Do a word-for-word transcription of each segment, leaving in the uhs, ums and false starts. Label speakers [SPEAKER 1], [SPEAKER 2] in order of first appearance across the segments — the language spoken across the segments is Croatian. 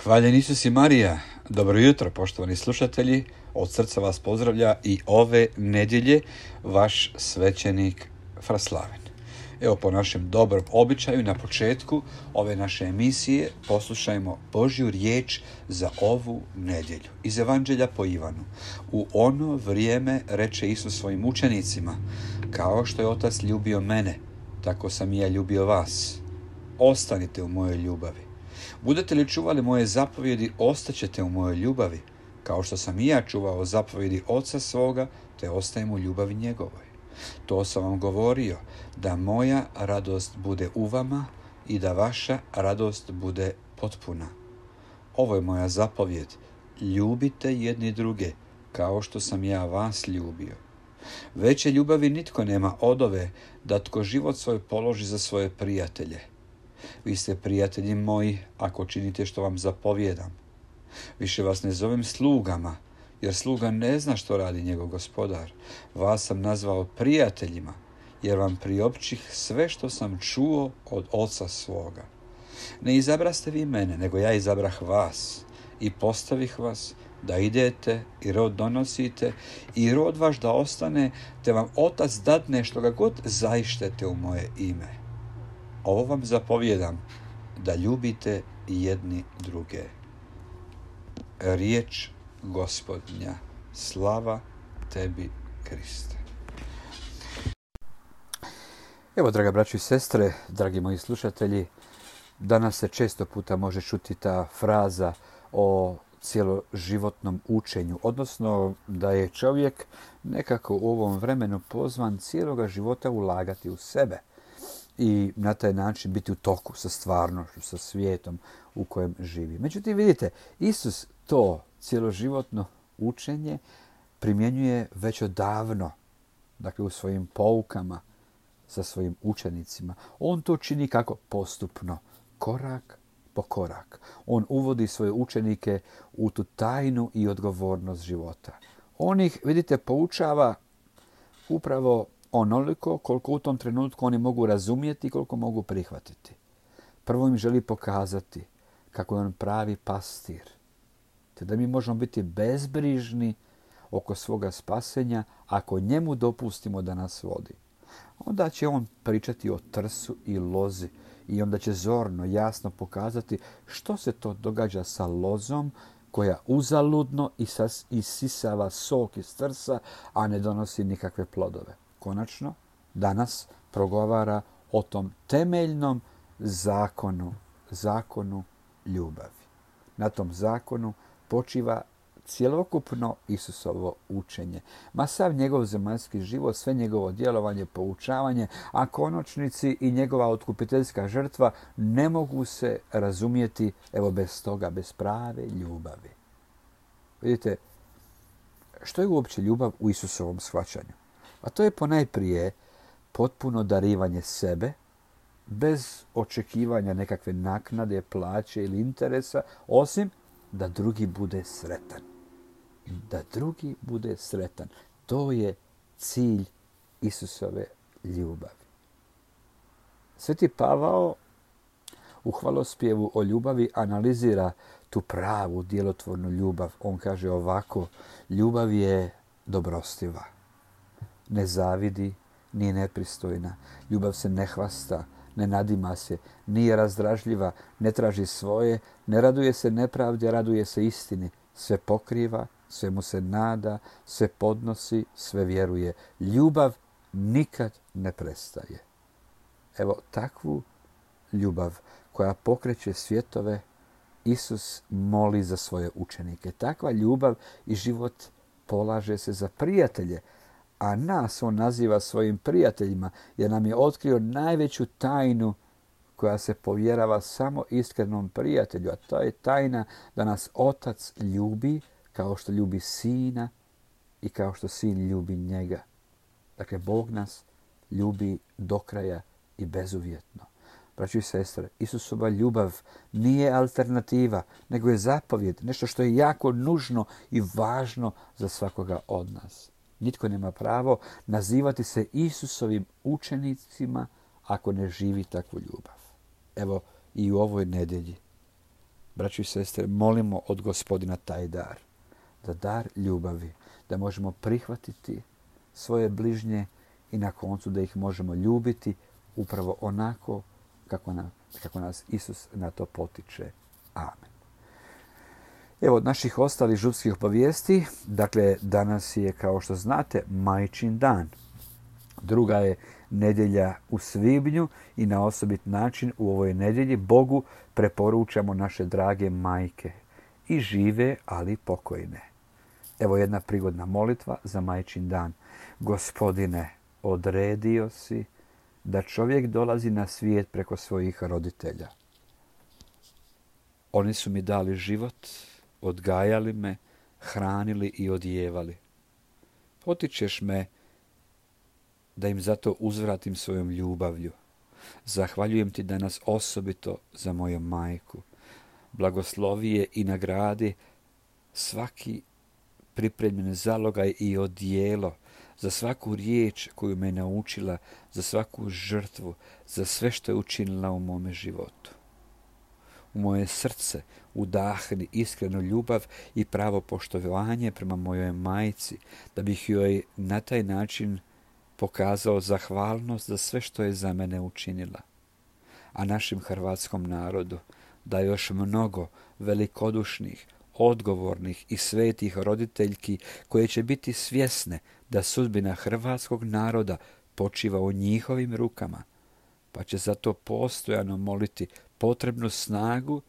[SPEAKER 1] Hvaljen Isus i Marija. Dobro jutro, poštovani slušatelji. Od srca vas pozdravlja i ove nedjelje vaš svećenik Fraslaven. Evo, po našem dobrom običaju na početku ove naše emisije poslušajmo Božju riječ za ovu nedjelju. Iz Evanđelja po Ivanu. U ono vrijeme reče Isus svojim učenicima: kao što je Otac ljubio mene, tako sam i ja ljubio vas. Ostanite u mojoj ljubavi. Budete li čuvali moje zapovjedi, ostaćete u mojoj ljubavi, kao što sam i ja čuvao zapovjedi Oca svoga, te ostajem u ljubavi njegovoj. To sam vam govorio, da moja radost bude u vama i da vaša radost bude potpuna. Ovo je moja zapovjed: ljubite jedni druge, kao što sam ja vas ljubio. Veće ljubavi nitko nema od ove, da tko život svoj položi za svoje prijatelje. Vi ste prijatelji moji, ako činite što vam zapovjedam. Više vas ne zovem slugama, jer sluga ne zna što radi njegov gospodar. Vas sam nazvao prijateljima, jer vam priopćih sve što sam čuo od Oca svoga. Ne izabraste vi mene, nego ja izabrah vas i postavih vas da idete i rod donosite i rod vaš da ostane, te vam Otac dadne što ga god zaištete u moje ime. Ovo vam zapovjedam, da ljubite jedni druge. Riječ Gospodnja. Slava tebi, Kriste. Evo, draga braćo i sestre, dragi moji slušatelji, danas se često puta može čuti ta fraza o cijeloživotnom učenju, odnosno da je čovjek nekako u ovom vremenu pozvan cijeloga života ulagati u sebe i na taj način biti u toku sa stvarnošću, sa svijetom u kojem živi. Međutim, vidite, Isus to cijeloživotno učenje primjenjuje već odavno, dakle u svojim poukama sa svojim učenicima. On to čini kako? Postupno, korak po korak. On uvodi svoje učenike u tu tajnu i odgovornost života. On ih, vidite, poučava upravo onoliko koliko u tom trenutku oni mogu razumjeti i koliko mogu prihvatiti. Prvo im želi pokazati kako je on pravi pastir, te da mi možemo biti bezbrižni oko svoga spasenja ako njemu dopustimo da nas vodi. Onda će on pričati o trsu i lozi i onda će zorno, jasno pokazati što se to događa sa lozom koja uzaludno isisava sok iz trsa, a ne donosi nikakve plodove. Konačno, danas progovara o tom temeljnom zakonu, zakonu ljubavi. Na tom zakonu počiva cjelokupno Isusovo učenje. Ma sav njegov zemaljski život, sve njegovo djelovanje, poučavanje, a konačnici i njegova otkupiteljska žrtva ne mogu se razumjeti evo bez toga, bez prave ljubavi. Vidite, što je uopće ljubav u Isusovom shvaćanju? A to je ponajprije potpuno darivanje sebe, bez očekivanja nekakve naknade, plaće ili interesa, osim da drugi bude sretan. Da drugi bude sretan. To je cilj Isusove ljubavi. Sveti Pavao u hvalospjevu o ljubavi analizira tu pravu djelotvornu ljubav. On kaže ovako: ljubav je dobrostiva. Ne zavidi, nije nepristojna. Ljubav se ne hvasta, ne nadima se, nije razdražljiva, ne traži svoje, ne raduje se nepravdi, raduje se istini. Sve pokriva, sve mu se nada, sve podnosi, sve vjeruje. Ljubav nikad ne prestaje. Evo takvu ljubav koja pokreće svjetove, Isus moli za svoje učenike. Takva ljubav i život polaže se za prijatelje, a nas on naziva svojim prijateljima, jer nam je otkrio najveću tajnu koja se povjerava samo iskrenom prijatelju, a to je tajna da nas Otac ljubi kao što ljubi Sina i kao što Sin ljubi njega. Dakle, Bog nas ljubi do kraja i bezuvjetno. Braćo i sestre, Isusova ljubav nije alternativa, nego je zapovjed, nešto što je jako nužno i važno za svakoga od nas. Nitko nema pravo nazivati se Isusovim učenicima ako ne živi takvu ljubav. Evo i u ovoj nedjelji braćo i sestre, molimo od Gospodina taj dar. Da dar ljubavi, da možemo prihvatiti svoje bližnje i na koncu da ih možemo ljubiti upravo onako kako, na, kako nas Isus na to potiče. Amen. Evo od naših ostalih župskih obavijesti, dakle danas je, kao što znate, Majčin dan. Druga je nedjelja u svibnju i na osobit način u ovoj nedjelji Bogu preporučamo naše drage majke. I žive, ali pokojne. Evo jedna prigodna molitva za Majčin dan. Gospodine, odredio si da čovjek dolazi na svijet preko svojih roditelja. Oni su mi dali život, odgajali me, hranili i odjevali. Potičeš me da im zato uzvratim svojom ljubavlju. Zahvaljujem ti danas osobito za moju majku. Blagoslovi je i nagradi svaki pripremljen zalogaj i odijelo, za svaku riječ koju me naučila, za svaku žrtvu, za sve što je učinila u mome životu. U moje srce udahni iskrenu ljubav i pravo poštovanje prema mojoj majci, da bih joj na taj način pokazao zahvalnost za sve što je za mene učinila. A našem hrvatskom narodu da još mnogo velikodušnih, odgovornih i svetih roditeljki koje će biti svjesne da sudbina hrvatskog naroda počiva u njihovim rukama, pa će zato postojano moliti potrebnu snagu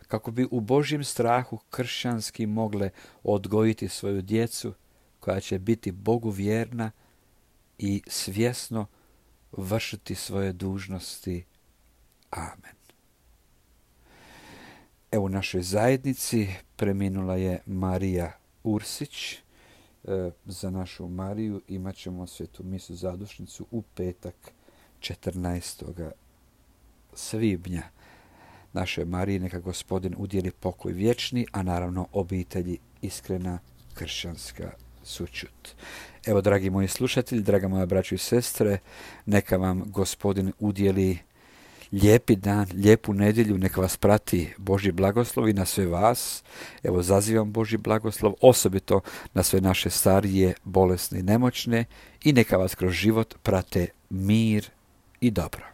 [SPEAKER 1] kako bi u Božjem strahu kršćanski mogle odgojiti svoju djecu koja će biti Bogu vjerna i svjesno vršiti svoje dužnosti. Amen. Evo u našoj zajednici preminula je Marija Ursić. E, za našu Mariju imat ćemo svetu misu zadušnicu u petak četrnaestog svibnja. Našoj Mariji neka Gospodin udjeli pokoj vječni, a naravno obitelji iskrena kršćanska sućut. Evo, dragi moji slušatelji, draga moja braćo i sestre, neka vam Gospodin udjeli lijepi dan, lijepu nedjelju, neka vas prati Božji blagoslov i na sve vas. Evo, zazivam Božji blagoslov, osobito na sve naše starije, bolesne i nemoćne, i neka vas kroz život prate mir i dobro.